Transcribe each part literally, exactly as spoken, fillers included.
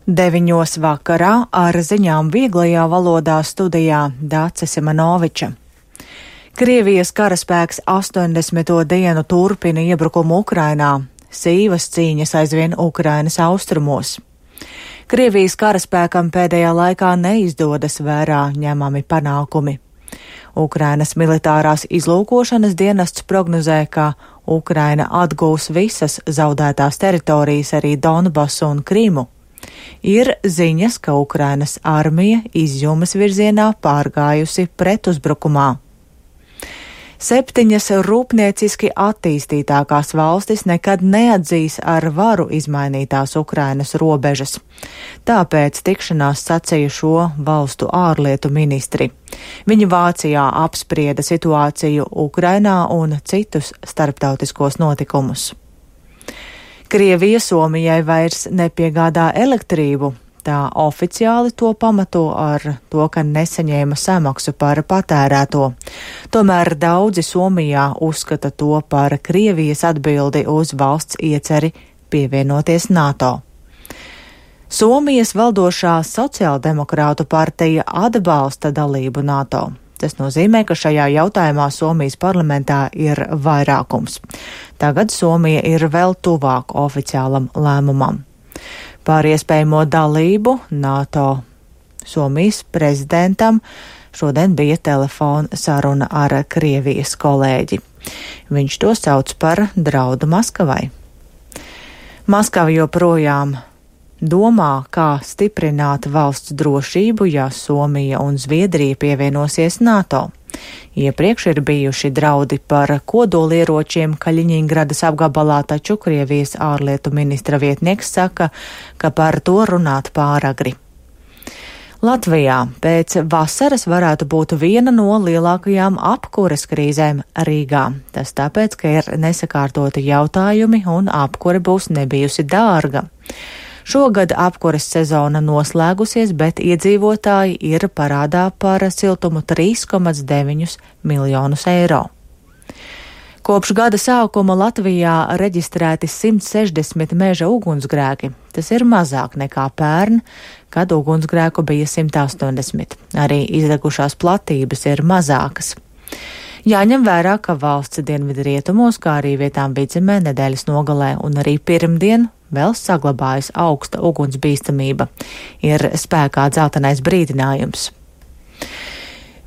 Deviņos vakarā ar ziņām vieglajā valodā studijā Dāce Simanoviča. Krievijas karaspēks astoņdesmito dienu turpina iebrukumu Ukrainā, sīvas cīņas aizvien Ukrainas austrumos. Krievijas karaspēkam pēdējā laikā neizdodas vērā ņemami panākumi. Ukrainas militārās izlūkošanas dienests prognozē, ka Ukraina atgūs visas zaudētās teritorijas, arī Donbasu un Krimu. Ir ziņas, ka Ukrainas armija izjūmas virzienā pārgājusi pretuzbrukumā. Septiņas rūpnieciski attīstītākās valstis nekad neatzīs ar varu izmainītās Ukrainas robežas. Tāpēc tikšanās sacīja šo valstu ārlietu ministri. Viņi Vācijā apsprieda situāciju Ukrainā un citus starptautiskos notikumus. Krievija Somijai vairs nepiegādā elektrību. Tā oficiāli to pamato ar to, ka nesaņēma samaksu par patērēto. Tomēr daudzi Somijā uzskata to par Krievijas atbildi uz valsts ieceri pievienoties NATO. Somijas valdošā sociāldemokrātu partija atbalsta dalību NATO. Tas nozīmē, ka šajā jautājumā Somijas parlamentā ir vairākums. Tagad Somija ir vēl tuvāk oficiālam lēmumam. Par iespējamo dalību NATO Somijas prezidentam šodien bija telefona saruna ar Krievijas kolēģi. Viņš to sauc par draudu Maskavai. Maskava joprojām domā, kā stiprināt valsts drošību, ja Somija un Zviedrija pievienosies NATO. Iepriekš ir bijuši draudi par kodolieročiem Kaļiņingradas apgabalā, taču Krievijas ārlietu ministra vietnieks saka, ka par to runāt pāragri. Latvijā pēc vasaras varētu būt viena no lielākajām apkures krīzēm Rīgā. Tas tāpēc, ka ir nesakārtoti jautājumi un apkure būs nebijusi dārga. Šogad apkures sezona noslēgusies, bet iedzīvotāji ir parādā par siltumu trīs komats deviņi miljonus eiro. Kopš gada sākuma Latvijā reģistrēti simt sešdesmit meža ugunsgrēki. Tas ir mazāk nekā pērn, kad ugunsgrēku bija simt astoņdesmit. Arī izdegušās platības ir mazākas. Jāņem vērā, ka valsts dienvidu rietumos, kā arī vietām vidzemē nedēļas nogalē un arī pirmdien vēl saglabājas augsta ugunsbīstamība. Ir spēkā dzeltenais brīdinājums.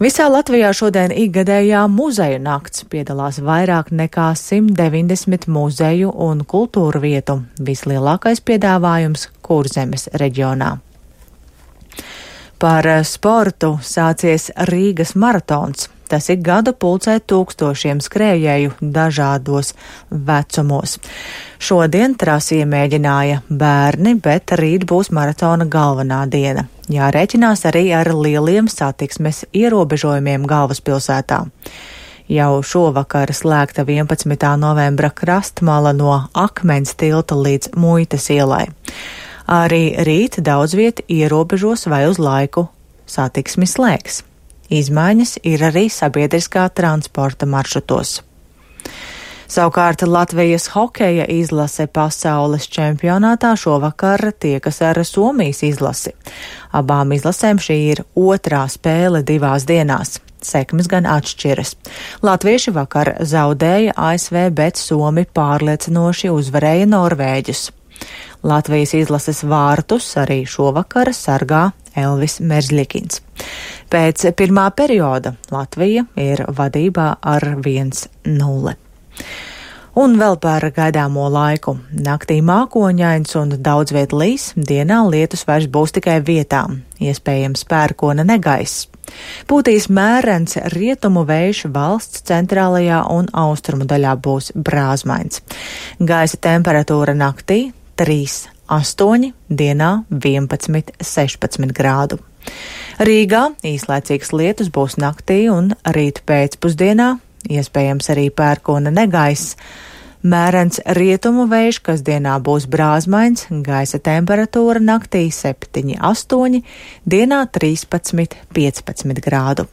Visā Latvijā šodien ikgadējā muzeju nakts piedalās vairāk nekā simt deviņdesmit muzeju un kultūru vietu. Vislielākais piedāvājums Kurzemes reģionā. Par sportu sācies Rīgas maratons. Tas ik gadu pulcē tūkstošiem skrējēju dažādos vecumos. Šodien trasi iemēģināja bērni, bet rīt būs maratona galvenā diena. Jārēķinās arī ar lieliem satiksmes ierobežojumiem galvaspilsētā. Jau šovakar slēgta vienpadsmitā novembra krastmala no Akmens tilta līdz Muitas ielai. Arī rīt daudz viet ierobežos vai uz laiku satiksmi slēgs. Izmaiņas ir arī sabiedriskā transporta maršrutos. Savukārt Latvijas hokeja izlase pasaules čempionātā šovakar tiekas ar Somijas izlasi. Abām izlasēm šī ir otrā spēle divās dienās. Sekmes gan atšķiras. Latvieši vakar zaudēja A S V, bet Somi pārliecinoši uzvarēja Norvēģus. Latvijas izlases vārtus arī šovakar sargā Elvis Merzlikins. Pēc pirmā perioda Latvija ir vadībā ar viens nulle. Un vēl par gaidāmo laiku. Naktī mākoņains un daudz viet līs, dienā lietus vairs būs tikai vietām, iespējams pērkona negaiss. Pūtīs mērens rietumu vējš, valsts centrālajā un austrumu daļā būs brāzmains. Gaisa temperatūra naktī trīs astoņi, dienā vienpadsmit sešpadsmit grādu. Rīgā īslaicīgs lietus būs naktī un rīt pēcpusdienā, iespējams arī pērkona negaiss. Mērens rietumu vējš, kas dienā būs brāzmains, gaisa temperatūra naktī septiņi astoņi, dienā trīspadsmit piecpadsmit grādu.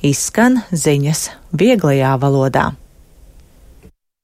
Izskan ziņas vieglajā valodā.